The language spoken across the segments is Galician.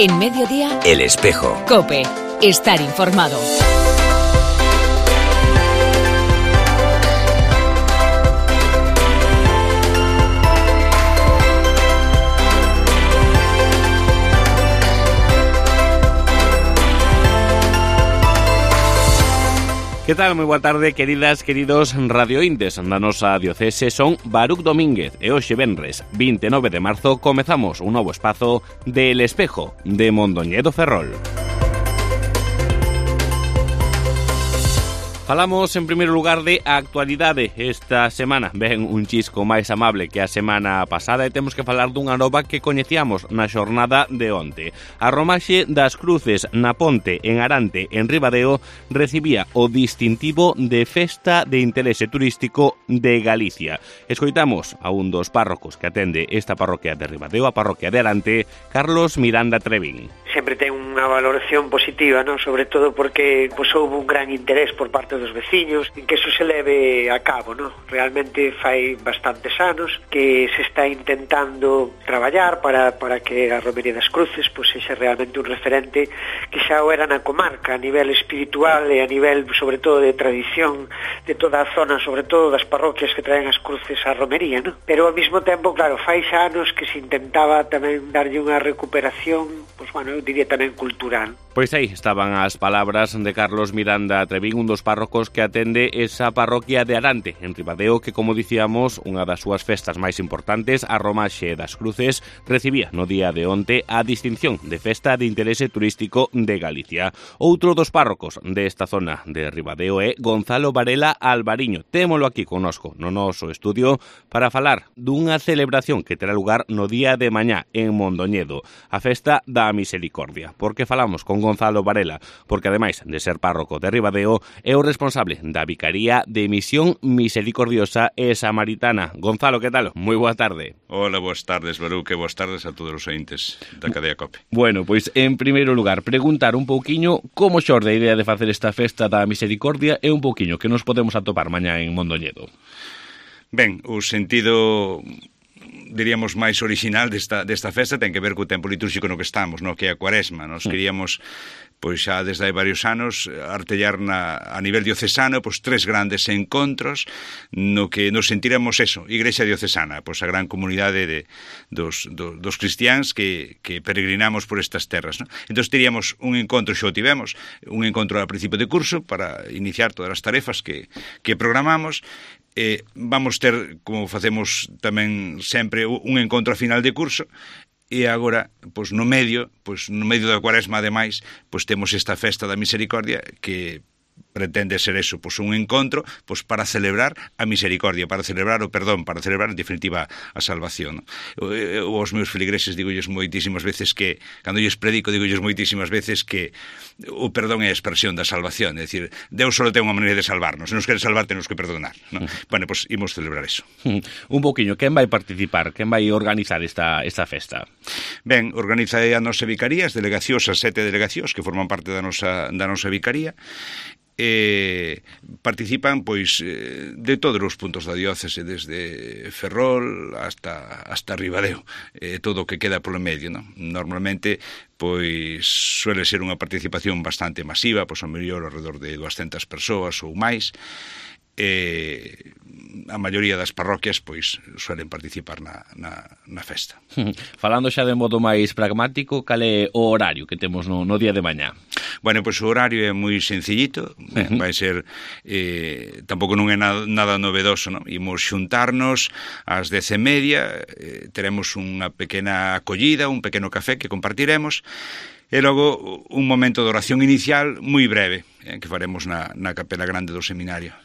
En Mediodía, El Espejo. COPE. Estar informado. Que tal? Moi boa tarde, queridas, queridos radiointes da nosa diocese. Son Baruch Domínguez e hoxe venres 29 de marzo comezamos un novo espazo de El Espejo de Mondoñedo Ferrol. Falamos en primeiro lugar de actualidade. Esta semana ven un chisco máis amable que a semana pasada e temos que falar dunha nova que coñecíamos na xornada de onte. A romaxe das cruces na Ponte en Arante, en Ribadeo, recibía o distintivo de Festa de Interese Turístico de Galicia. Escoitamos a un dos párrocos que atende esta parroquia de Ribadeo, a parroquia de Arante, Carlos Miranda Trevín. Sempre ten unha valoración positiva, non? Sobre todo porque houve un gran interés por parte dos veciños en que eso se leve a cabo, non? Realmente fai bastantes anos que se está intentando traballar para que a Romería das Cruces sexa realmente un referente que xa o era na comarca a nivel espiritual e a nivel sobre todo de tradición de toda a zona, sobre todo das parroquias que traen as cruces á romería, non? Pero ao mesmo tempo, claro, fai xa anos que se intentaba tamén darlle unha recuperación, eu diría tamén cultural. Pois aí estaban as palabras de Carlos Miranda Trevín, un dos párrocos que atende esa parroquia de Arante, en Ribadeo, que, como dicíamos, unha das súas festas máis importantes, a Romaxe das Cruces, recibía no día de onte a distinción de Festa de Interese Turístico de Galicia. Outro dos párrocos desta zona de Ribadeo é Gonzalo Varela Alvariño. Témolo aquí connosco no noso estudio para falar dunha celebración que terá lugar no día de mañá en Mondoñedo, a Festa da Misericordia. Por que falamos con Gonzalo Varela? Porque ademais de ser párroco de Ribadeo, é o responsable da Vicaría de Misión Misericordiosa e Samaritana. Gonzalo, que tal? Moi boa tarde. Hola, boas tardes, Baruch, e boas tardes a todos os ointes da cadea COPE. Bueno, pois, en primeiro lugar, preguntar un pouquiño como xorde a idea de facer esta Festa da Misericordia e un pouquiño que nos podemos atopar mañá en Mondoñedo. Ben, o sentido, diríamos, máis original desta festa ten que ver co tempo litúrxico no que estamos, no que é a Cuaresma. Nos queríamos, pois xa desde hai varios anos, artellar a nivel diocesano, pois 3 grandes encontros no que nos sentiremos eso, Igrexa diocesana, pois a gran comunidade dos cristiáns que peregrinamos por estas terras, non? Entón teríamos un encontro, xa o tivemos, un encontro a principio de curso para iniciar todas as tarefas que programamos. Vamos ter, como facemos tamén sempre, un encontro a final de curso. E agora, pois no medio da Cuaresma, ademais, pois temos esta Festa da Misericordia que pretende ser eso, pois un encontro pois para celebrar a misericordia, para celebrar o perdón, para celebrar en definitiva a salvación. Os meus feligreses digolles moitísimas veces que, cando lles predico, digolles moitísimas veces que o perdón é a expresión da salvación, é dicir, Deus só ten unha maneira de salvarnos, se nos quere salvar temos que perdonar, non? Bueno, pois imos celebrar eso. Un poquinho, quen vai participar, quen vai organizar esta festa? Ben, organiza a nosa vicaría, as delegacións, as 7 delegacións que forman parte da nosa vicaría. Participan pois de todos os puntos da diócese, desde Ferrol hasta Ribadeo, todo o que queda polo medio, non? Normalmente pois suele ser unha participación bastante masiva, pois ao mellor alrededor de 200 persoas ou máis. A maioría das parroquias pois suelen participar na festa. Falando xa de modo máis pragmático, cal é o horario que temos no día de mañá? Bueno, pois o horario é moi sencillito, vai ser tampouco non é nada novedoso, non? Imos xuntarnos ás 10:30, teremos unha pequena acollida, un pequeno café que compartiremos, e logo un momento de oración inicial moi breve, que faremos na capela grande do seminario.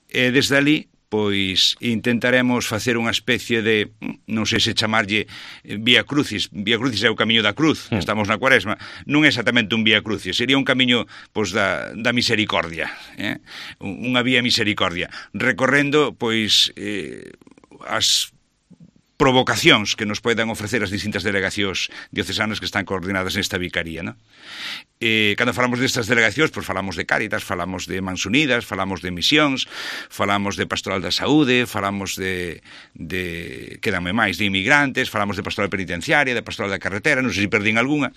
E desde ali, pois intentaremos facer unha especie de, non sei se chamarlle Vía Crucis. Vía Crucis é o camiño da cruz, estamos na Cuaresma. Non é exactamente un Vía Crucis, sería un camiño pois da misericordia, unha vía misericordia, recorrendo pois as provocacións que nos poden ofrecer as distintas delegacións diocesanas que están coordinadas nesta vicaría, non? Cando falamos destas delegacións, pois falamos de Cáritas, falamos de Mans Unidas, falamos de misións, falamos de Pastoral da Saúde, falamos de quédame máis, de inmigrantes, falamos de Pastoral Penitenciaria, de Pastoral da Carretera, non sei se perdín algunha.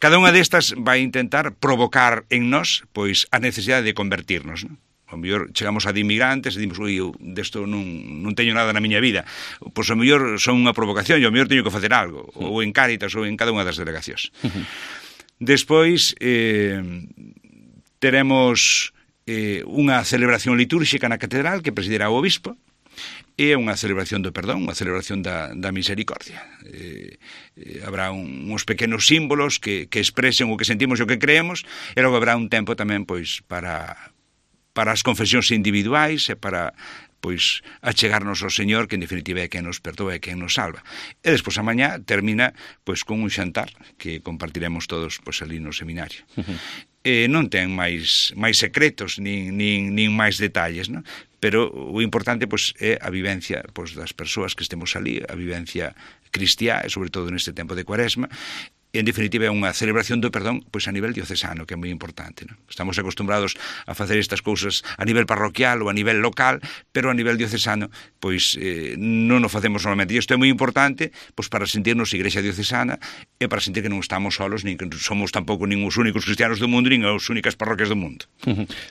Cada unha destas vai intentar provocar en nós, pois, a necesidade de convertirnos, non? O mellor chegamos a de inmigrantes e dimos, eu desto non teño nada na miña vida. Pois o mellor son unha provocación e o mellor teño que facer algo, ou en Cáritas ou en cada unha das delegacións. Despois teremos unha celebración litúrxica na catedral que presidirá o obispo, e unha celebración do perdón, unha celebración da misericordia. Habrá uns pequenos símbolos que expresen o que sentimos e o que creemos, e logo habrá un tempo tamén pois para as confesións individuais e para pois achegarnos ao Señor, que en definitiva é quen nos perdoa e quen nos salva. E despois a mañá termina pois con un xantar que compartiremos todos pois ali no seminario. Non ten máis secretos nin máis detalles, non? Pero o importante pois é a vivencia pois das persoas que estemos ali, a vivencia cristiá, e sobre todo neste tempo de Cuaresma. En definitiva é unha celebración do perdón pois a nivel diocesano, que é moi importante, non? Estamos acostumbrados a facer estas cousas a nivel parroquial ou a nivel local, pero a nivel diocesano pois non o facemos normalmente. E isto é moi importante pois para sentirnos igrexa diocesana e para sentir que non estamos solos, nin que somos tampouco nin os únicos cristianos do mundo, nin as únicas parroquias do mundo.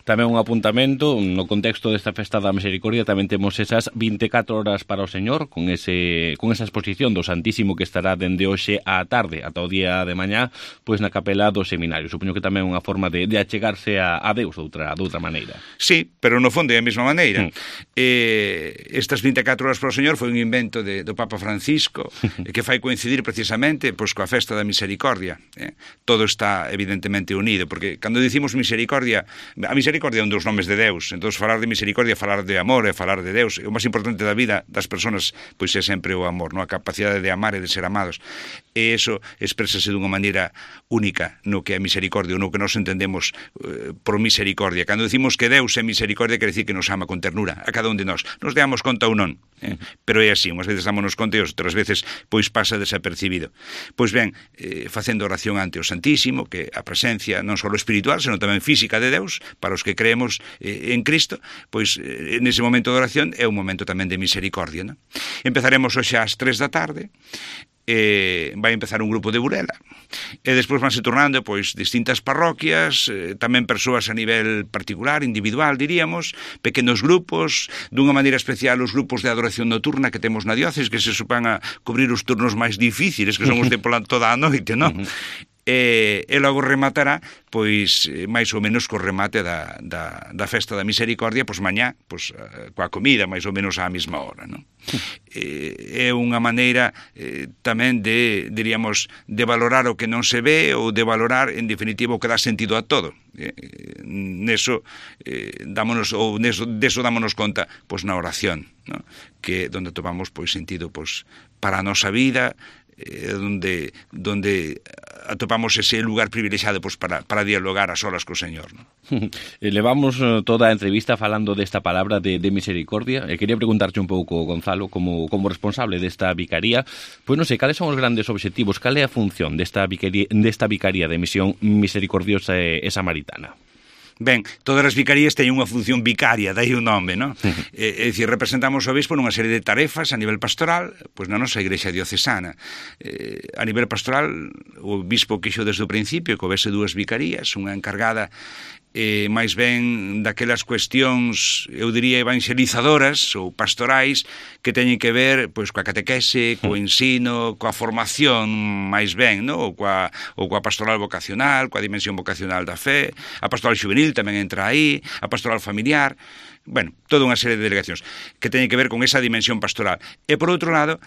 Tamén un apuntamento, no contexto desta festa da Misericordia tamén temos esas 24 horas para o Señor, con esa exposición do Santísimo que estará dende hoxe á tarde ata o día de mañá, pois na capela do seminario. Supoño que tamén é unha forma de achegarse a Deus de outra maneira. Sí, pero no fondo é a mesma maneira. Estas 24 horas para o Señor foi un invento do Papa Francisco que fai coincidir precisamente pois coa festa da Misericordia. Todo está evidentemente unido, porque cando dicimos misericordia, a misericordia é un dos nomes de Deus, entón falar de misericordia é falar de amor, é falar de Deus. O máis importante da vida das persoas pois é sempre o amor, non? A capacidade de amar e de ser amados. E iso exprésase dunha maneira única no que é misericordia, ou no que nos entendemos por misericordia. Cando decimos que Deus é misericordia, quer decir que nos ama con ternura a cada un de nós. Nos damos conta ou non, pero é así, unhas veces dámonos conta e outras veces pois pasa desapercibido. Pois ben, facendo oración ante o Santísimo, que a presencia non só espiritual, senón tamén física de Deus, para os que creemos en Cristo, pois nese momento de oración é un momento tamén de misericordia, non? Empezaremos hoxe ás 3 da tarde, vai empezar un grupo de Burela e despois vanse tornando pois distintas parroquias, tamén persoas a nivel particular, individual diríamos, pequenos grupos, dunha maneira especial os grupos de adoración nocturna que temos na diócesis, que se supan a cubrir os turnos máis difíciles, que son os de pola toda a noite, non? E logo rematará pois máis ou menos co remate da festa da Misericordia, pois mañá, pois coa comida máis ou menos á mesma hora, non? É unha maneira tamén de, diríamos, de valorar o que non se ve ou de valorar, en definitivo, o que dá sentido a todo. Neso dámonos conta pois na oración, non? Que donde topamos pois sentido pois para a nosa vida, donde atopamos ese lugar privilexiado pois para dialogar a solas co Señor, non? Levamos toda a entrevista falando desta palabra de misericordia e quería preguntarche un pouco, Gonzalo, como responsable desta vicaría, pois non sei, cales son os grandes obxectivos, cal é a función desta vicaría de misión misericordiosa e samaritana? Ben, todas as vicarías teñen unha función vicaria, dai o nome, non? É dicir, representamos o obispo nunha serie de tarefas a nivel pastoral, pois na nosa igrexa diocesana. A nivel pastoral, o obispo quixo desde o principio que houvese dúas vicarías, unha encargada máis ben daquelas cuestións, eu diría, evangelizadoras ou pastorais que teñen que ver pois coa catequese, co ensino, coa formación máis ben, non? Ou coa pastoral vocacional, coa dimensión vocacional da fe, a pastoral juvenil tamén entra aí, a pastoral familiar, bueno, toda unha serie de delegacións que teñen que ver con esa dimensión pastoral. E por outro lado,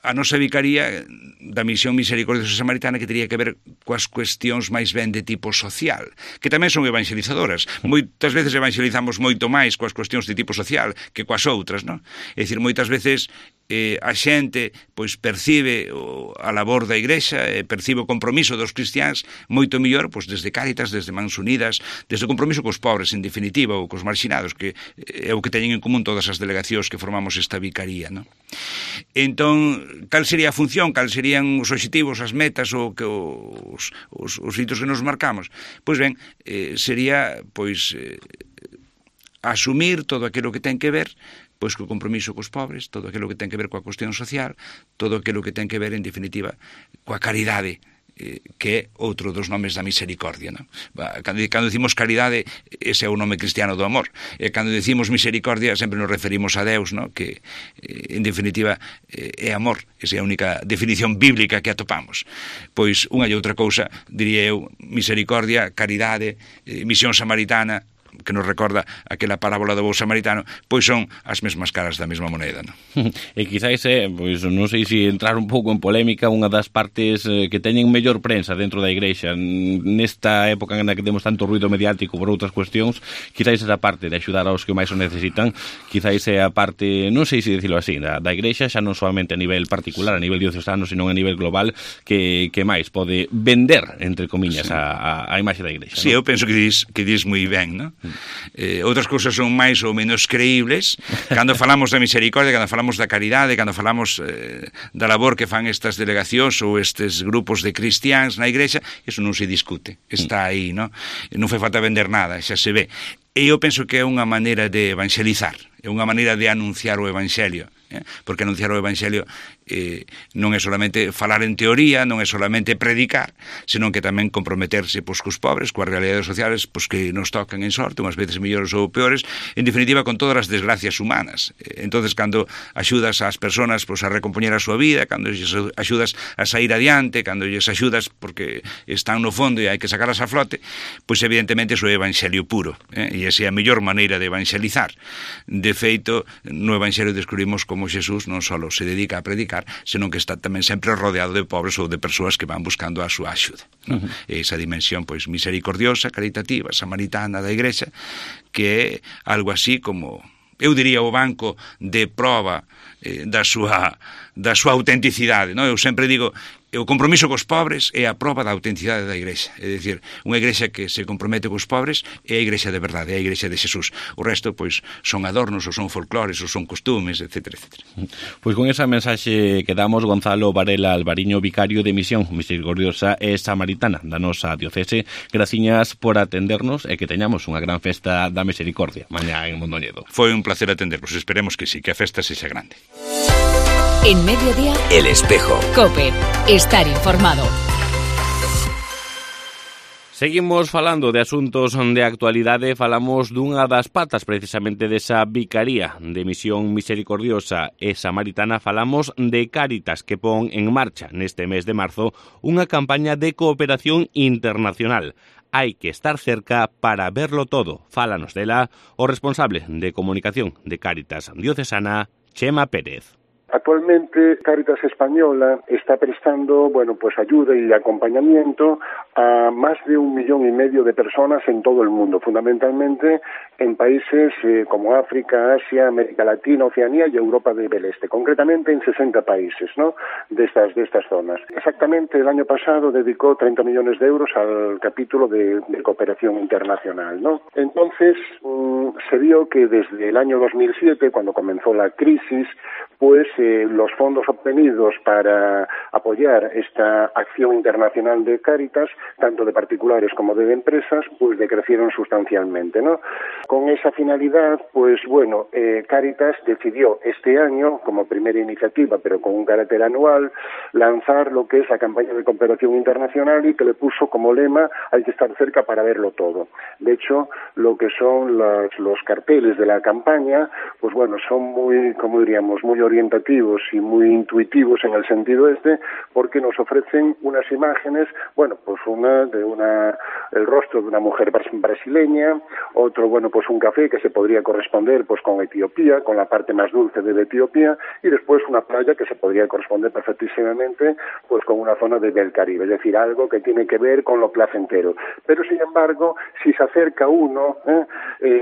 a nosa vicaría da misión misericordiosa samaritana que teria que ver coas cuestións máis ben de tipo social, que tamén son evangelizadoras. Moitas veces evangelizamos moito máis coas cuestións de tipo social que coas outras, non? É dicir, moitas veces a xente pois percibe a labor da igrexa, percibe o compromiso dos cristiáns moito mellor pois desde Cáritas, desde Mans Unidas, desde o compromiso cos pobres, en definitiva, ou cos marxinados, que é o que teñen en común todas as delegacións que formamos esta vicaría, non? Entón, cal sería a función, cal serían os obxectivos, as metas, os hitos que nos marcamos? Pois ben, sería, asumir todo aquilo que ten que ver pois co compromiso cos pobres, todo aquilo que ten que ver coa cuestión social, todo aquilo que ten que ver, en definitiva, coa caridade, que é outro dos nomes da misericordia, non? Cando decimos caridade, ese é o nome cristiano do amor, e cando decimos misericordia sempre nos referimos a Deus, non? Que en definitiva é amor, esa é a única definición bíblica que atopamos. Pois unha e outra cousa, diría eu, misericordia, caridade, misión samaritana, que nos recorda aquela parábola do bo samaritano, pois son as mesmas caras da mesma moneda, non? E quizáis pois non sei se entrar un pouco en polémica, unha das partes que teñen mellor prensa dentro da Igrexa nesta época na que temos tanto ruido mediático por outras cuestións, quizáis esa parte de axudar aos que máis o necesitan, quizáis é a parte, non sei se dicilo así, da Igrexa, xa non solamente a nivel particular, a nivel diocesano, senón a nivel global, que máis pode vender, entre comiñas, sí, a imaxe da Igrexa. Sí, ¿no? Eu penso que dis moi ben, non? Outras cousas son máis ou menos creíbles. Cando falamos da misericordia, cando falamos da caridade, cando falamos da labor que fan estas delegacións ou estes grupos de cristiáns na Igrexa, eso non se discute, está aí, non? Non fai falta vender nada, xa se ve. E eu penso que é unha maneira de evangelizar, é unha maneira de anunciar o Evangelio, porque anunciar o Evangelio non é solamente falar en teoría, non é solamente predicar, senón que tamén comprometerse cos pobres, coas realidades sociales que nos tocan en sorte, unhas veces mellores ou peores, en definitiva con todas as desgracias humanas. Entonces, cando axudas ás persoas a recompoñer a súa vida, cando lles axudas a sair adiante, cando lles axudas porque están no fondo e hai que sacalas a flote, pois evidentemente iso é Evangelio puro, e esa é a mellor maneira de evangelizar. De feito, no Evangelio descubrimos como Xesús non só se dedica a predicar, senón que está tamén sempre rodeado de pobres ou de persoas que van buscando a súa axuda, ¿no? Esa dimensión misericordiosa, caritativa, samaritana da Igrexa, que é algo así como, eu diría, o banco de prova da súa autenticidade, ¿no? Eu sempre digo, o compromiso cos pobres é a prova da autenticidade da Igrexa. É dicir, unha Igrexa que se compromete cos pobres é a Igrexa de verdade, é a Igrexa de Xesús. O resto, son adornos, ou son folclores, ou son costumes, etc. Pois con esa mensaxe que damos, Gonzalo Varela Alvariño, vicario de Misión Misericordiosa e Samaritana da nosa diocese, graciñas por atendernos e que teñamos unha gran festa da misericordia mañá en Mondoñedo. Foi un placer atendervos, esperemos que sí, que a festa sexa grande. En Mediodía, El Espejo. COPE. Estar informado. Seguimos falando de asuntos de actualidade, falamos dunha das patas precisamente desa vicaría de Misión Misericordiosa e Samaritana, falamos de Cáritas, que pon en marcha neste mes de marzo unha campaña de cooperación internacional. Hai que estar cerca para verlo todo. Fálanos dela o responsable de comunicación de Cáritas Diocesana, Chema Pérez. Actualmente, Cáritas Española está prestando, ayuda y acompañamiento a más de 1,5 millones de personas en todo el mundo, fundamentalmente en países como África, Asia, América Latina, Oceanía y Europa del Este, concretamente en 60 países, ¿no?, de estas zonas. Exactamente, el año pasado dedicó 30 millones de euros al capítulo de cooperación internacional, ¿no? Entonces, se vio que desde el año 2007, cuando comenzó la crisis, los fondos obtenidos para apoyar esta acción internacional de Cáritas, tanto de particulares como de empresas, decrecieron sustancialmente, ¿no? Con esa finalidad, Cáritas decidió este año, como primera iniciativa, pero con un carácter anual, lanzar lo que es la campaña de cooperación internacional y que le puso como lema: hay que estar cerca para verlo todo. De hecho, lo que son los carteles de la campaña, son muy, muy orientativos y muy intuitivos en el sentido porque nos ofrecen unas imágenes, una de el rostro de una mujer brasileña, otro, un café que se podría corresponder con Etiopía, con la parte más dulce de Etiopía, y después una playa que se podría corresponder perfectísimamente con una zona del Caribe, es decir, algo que tiene que ver con lo placentero. Pero sin embargo, si se acerca uno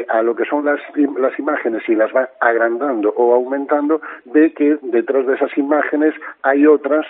a lo que son las imágenes y las va agrandando o aumentando, ve ve que detrás de esas imágenes hay otras,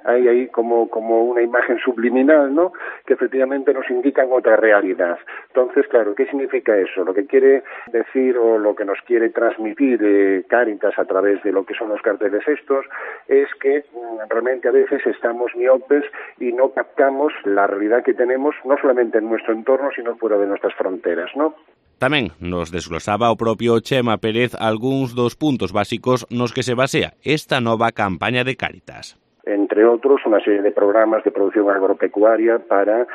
hay ahí como una imagen subliminal, ¿no?, que efectivamente nos indican otra realidad. Entonces, claro, ¿qué significa eso? Lo que quiere decir o lo que nos quiere transmitir Cáritas a través de lo que son los carteles estos es que realmente a veces estamos miopes y no captamos la realidad que tenemos no solamente en nuestro entorno, sino fuera de nuestras fronteras, ¿no? Tamén nos desglosaba o propio Chema Pérez algúns dos puntos básicos nos que se basea esta nova campaña de Cáritas. Entre otros, una serie de programas de producción agropecuaria para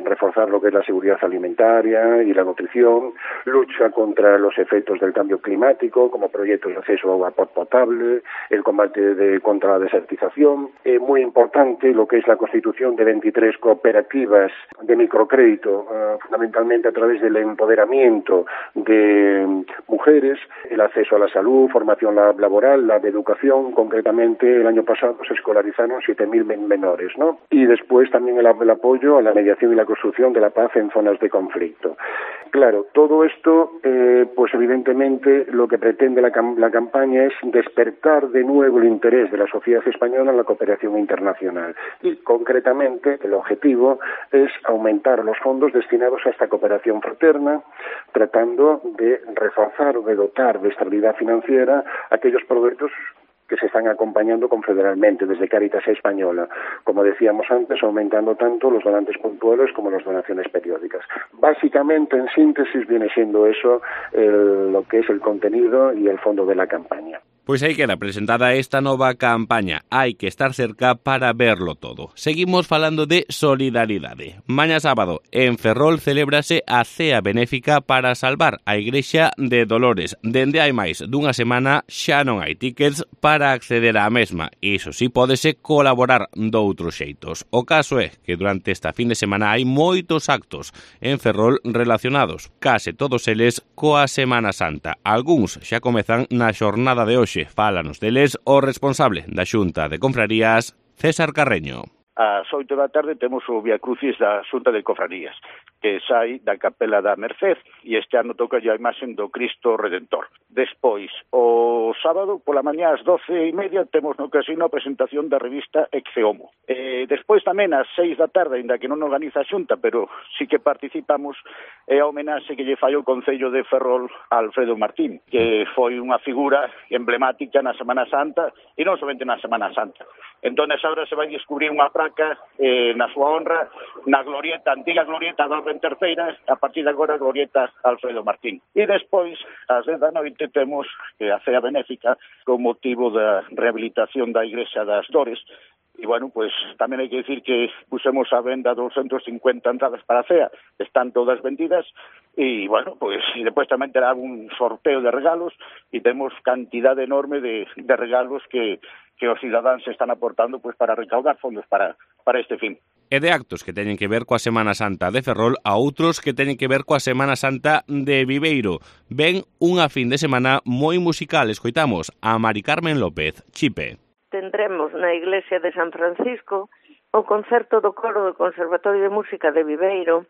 reforzar lo que es la seguridad alimentaria y la nutrición, lucha contra los efectos del cambio climático, como proyectos de acceso a agua potable, el combate contra la desertización. Muy importante lo que es la constitución de 23 cooperativas de microcrédito, fundamentalmente a través del empoderamiento de mujeres, el acceso a la salud, formación laboral, la de educación. Concretamente, el año pasado se escolarizaron 7.000 menores, ¿no? Y después también el apoyo a la mediación y la construcción de la paz en zonas de conflicto. Claro, todo esto, pues evidentemente lo que pretende la campaña es despertar de nuevo el interés de la sociedad española en la cooperación internacional. Y concretamente el objetivo es aumentar los fondos destinados a esta cooperación fraterna, tratando de reforzar o de dotar de estabilidad financiera aquellos proyectos que se están acompañando confederalmente desde Cáritas Española, como decíamos antes, aumentando tanto los donantes puntuales como las donaciones periódicas. Básicamente, en síntesis, viene siendo eso lo que es el contenido y el fondo de la campaña. Pois aí queda presentada esta nova campaña. Hai que estar cerca para verlo todo. Seguimos falando de solidaridade. Mañá sábado, en Ferrol, celébrase a cea benéfica para salvar a Igrexa de Dolores. Dende hai máis dunha semana xa non hai tickets para acceder á mesma. Iso sí, pódese colaborar doutros xeitos. O caso é que durante esta fin de semana hai moitos actos en Ferrol relacionados, case todos eles coa Semana Santa. Algúns xa comezan na xornada de hoxe. Fálanos deles o responsable da Xunta de Confrarías, César Carreño. Ás 8 da tarde temos o Vía Crucis da Xunta de Confrarías, que sai da Capela da Merced, e este ano toca a imaxen do Cristo Redentor. Despois, o sábado, pola mañá ás 12:30, temos no casino a presentación da revista Exeomo. Despois tamén ás 6 da tarde, ainda que non organiza a Xunta, pero sí que participamos, é a homenaxe que lle fai o Concello de Ferrol a Alfredo Martín, que foi unha figura emblemática na Semana Santa, e non somente na Semana Santa. Entón, agora se vai descubrir unha praca na súa honra na glorieta, antiga glorieta da Orden Terceira, a partir de agora glorieta Alfredo Martín. E despois, ás 10 da noite, temos a cea benéfica con motivo da rehabilitación da Igrexa das Dores. E, bueno, pues tamén hai que decir que pusemos a venda 250 entradas para a cea, están todas vendidas, e, bueno, pues e despois tamén terá un sorteo de regalos, e temos cantidade enorme de regalos que os cidadáns están aportando pues para recaudar fondos para este fin. E de actos que teñen que ver coa Semana Santa de Ferrol a outros que teñen que ver coa Semana Santa de Viveiro. Ven unha fin de semana moi musical, escoitamos a Mari Carmen López, Chipe. Tendremos na Iglesia de San Francisco o concerto do coro do Conservatorio de Música de Viveiro.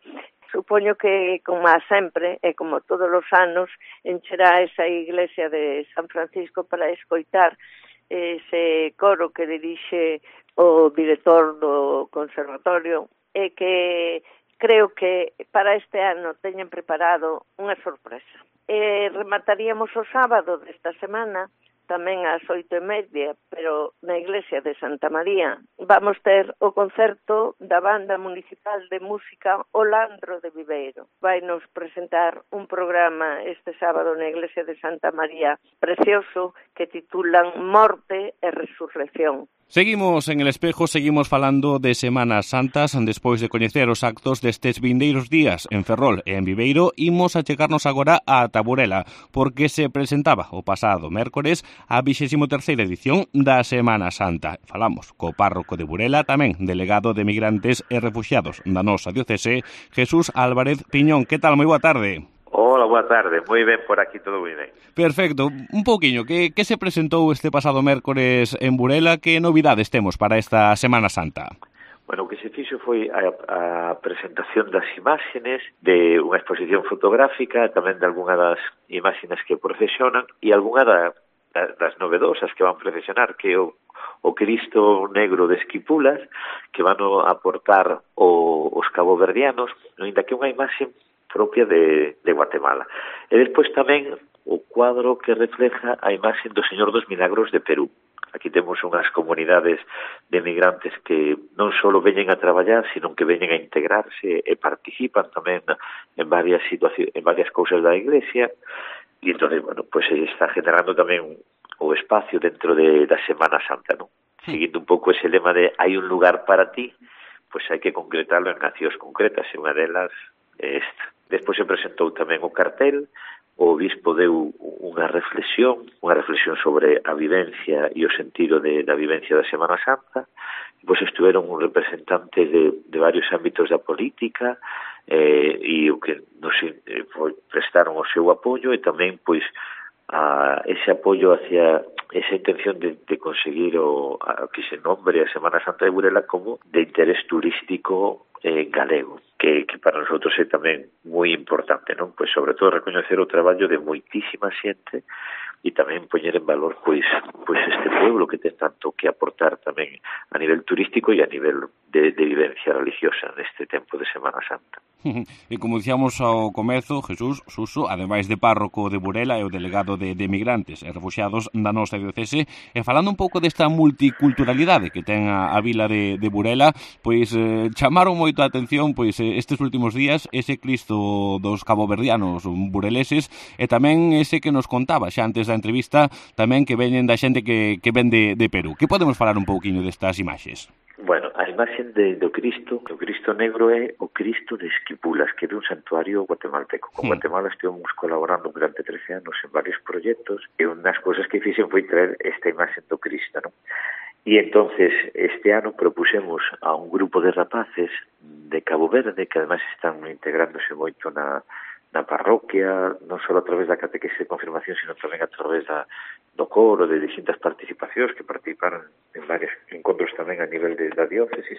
Supoño que, como a sempre, e como todos os anos, encherá esa Iglesia de San Francisco para escoitar ese coro que dirixe o director do Conservatorio e que creo que para este ano teñen preparado unha sorpresa. Remataríamos o sábado desta semana tamén ás 8:30, pero na Iglesia de Santa María vamos ter o concerto da Banda Municipal de Música O Landro de Viveiro. Vai nos presentar un programa este sábado na Iglesia de Santa María precioso que titulan Morte e Resurrección. Seguimos en El Espejo, seguimos falando de Semanas Santas. Despois de coñecer os actos destes vindeiros días en Ferrol e en Viveiro, imos a chegarnos agora a Burela, porque se presentaba o pasado mércores a 23ª edición da Semana Santa. Falamos co párroco de Burela, tamén delegado de Migrantes e Refuxiados da nosa diocese, Jesús Álvarez Piñón. Que tal? Moi boa tarde. Hola, boa tarde. Moi ben por aquí, todo moi ben. Perfecto. Un pouquiño, que se presentou este pasado mércores en Burela? Que novidades temos para esta Semana Santa? Bueno, o que se fixo foi a presentación das imágenes de unha exposición fotográfica, tamén de algunha das imágenes que procesionan, e algunha das novedosas que van procesionar, que o Cristo Negro de Esquipulas, que van a aportar os caboverdianos, ainda que unha imaxe propia de Guatemala. E despois tamén o cuadro que refleja a imaxe do Señor dos Milagros de Perú. Aquí temos unhas comunidades de migrantes que non só veñen a traballar, sino que veñen a integrarse e participan tamén en varias situacións, en varias cousas da Iglesia, e entón, bueno, pues está generando tamén o espacio dentro da Semana Santa, non? Seguindo un pouco ese lema de hai un lugar para ti, pues hai que concretarlo en accións concretas, e unha delas é esta. Despois se presentou tamén o cartel. O obispo deu unha reflexión sobre a vivencia e o sentido da vivencia da Semana Santa. Pois estuveron representantes de varios ámbitos da política e o que nos prestaron o seu apoio e tamén pois ese apoio hacia esa intención de conseguir que se nombre a Semana Santa de Burela como de interés turístico galego, que para nosotros é tamén moi importante, non? Pois sobre todo recoñecer o traballo de moitísima xente e tamén poñer en valor pois este pueblo que ten tanto que aportar tamén a nivel turístico e a nivel de vivencia religiosa neste tempo de Semana Santa. E como dicíamos ao comezo, Jesús Suso, ademais de párroco de Burela, é o delegado de migrantes e refuxiados da nosa diocese, e falando un pouco desta multiculturalidade que ten a vila de Burela, pois chamaron moito a atención pois estes últimos días ese Cristo dos caboverdianos bureleses e tamén ese que nos contaba xa antes da entrevista, tamén que veñen da xente que ven de Perú. Que podemos falar un pouquiño destas imaxes? Bueno, a imaxe do Cristo, o Cristo Negro é o Cristo de Esquipulas, que é un santuario guatemalteco. Con Guatemala estivemos colaborando durante 13 anos en varios proxectos e unha das cousas que fixen foi traer esta imaxe do Cristo, non? E entonces este ano propusemos a un grupo de rapaces de Cabo Verde, que además están integrándose moito na parroquia, non só a través da catequese de confirmación, sino tamén a través do coro, de distintas participacións que participaron en varios encontros tamén a nivel da diócesis.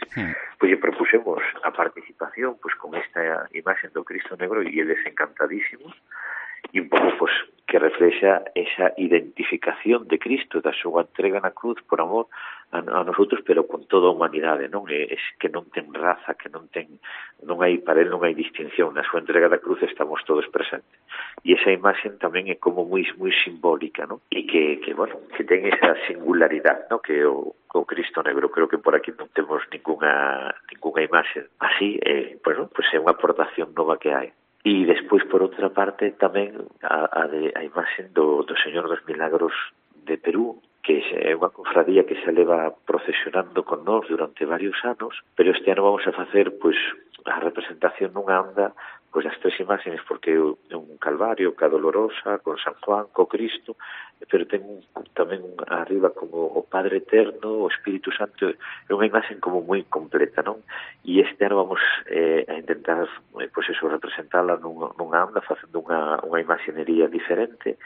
Pois lle propusemos a participación pois con esta imaxe do Cristo Negro e eles encantadísimos, e un pouco pois que reflexa esa identificación de Cristo, da súa entrega na cruz por amor a nosotros, pero con toda a humanidade, non? É que non ten raza, que non hai para él non hai distinción, na súa entrega da cruz estamos todos presentes. E esa imaxe tamén é como moi simbólica, non? E que bueno, que ten esa singularidade, non? Que o Cristo Negro, creo que por aquí non temos ninguna imaxe así, bueno, pues é unha aportación nova que hai. E despois, por outra parte, tamén a imaxe do Señor dos Milagros de Perú, que é unha cofradía que se leva procesionando con nós durante varios anos, pero este ano vamos a facer pois a representación nunha anda pois das tres imaxes, porque é un Calvario, ca Dolorosa, con San Juan, co Cristo, pero ten tamén arriba como o Padre Eterno, o Espírito Santo, é unha imaxe como moi completa, non? E este ano vamos a intentar pois eso, representala nunha anda, facendo unha imaxinería diferente,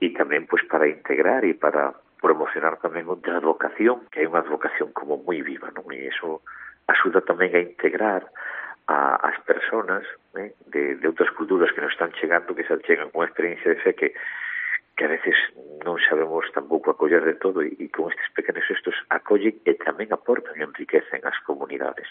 e tamén pois para integrar e para promocionar tamén outra advocación, que é unha advocación como moi viva, non? E iso axuda tamén a integrar as personas de outras culturas que nos están chegando, que se chegan con unha experiencia de fe que a veces non sabemos tampouco acoller de todo, e con estes pequenos gestos acollen e tamén aportan e enriquecen as comunidades.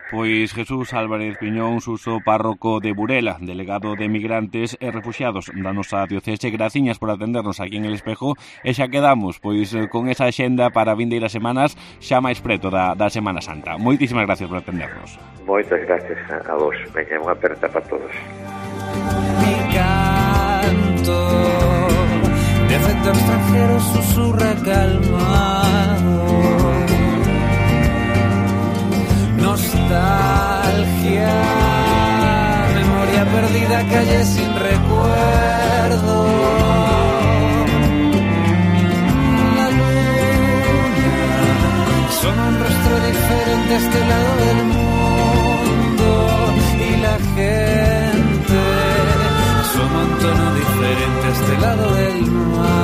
Pois Jesús Álvarez Piñón, Suso, párroco de Burela, delegado de migrantes e refuxiados da nosa diocese, graciñas por atendernos aquí en El Espejo, e xa quedamos pois con esa axenda para vindeiras semanas xa máis preto da Semana Santa. Moitísimas gracias por atendernos. Moitas gracias a vos. Veña, unha aperta para todos. Mi canto de efecto extranjero susurra calmado, nostalgia, memoria perdida, calle sin recuerdo. La luna son un rostro diferente a este lado del mundo, y la gente son un tono diferente a este lado del mar.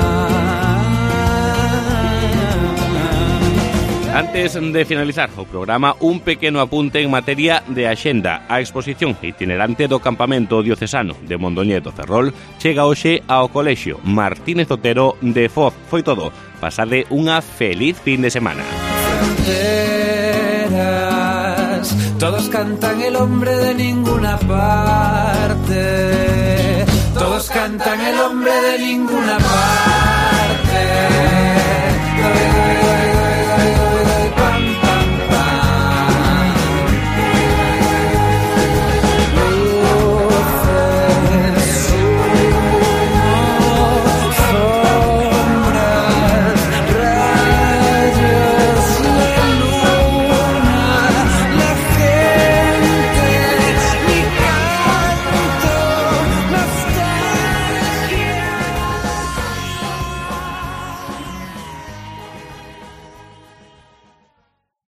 Antes de finalizar o programa, un pequeno apunte en materia de axenda. A exposición itinerante do campamento diocesano de Mondoñedo Ferrol chega hoxe ao colexio Martínez Otero de Foz. Foi todo. Pasade unha feliz fin de semana. Fronteras, todos cantan el hombre de ninguna parte. Todos cantan el hombre de ninguna parte.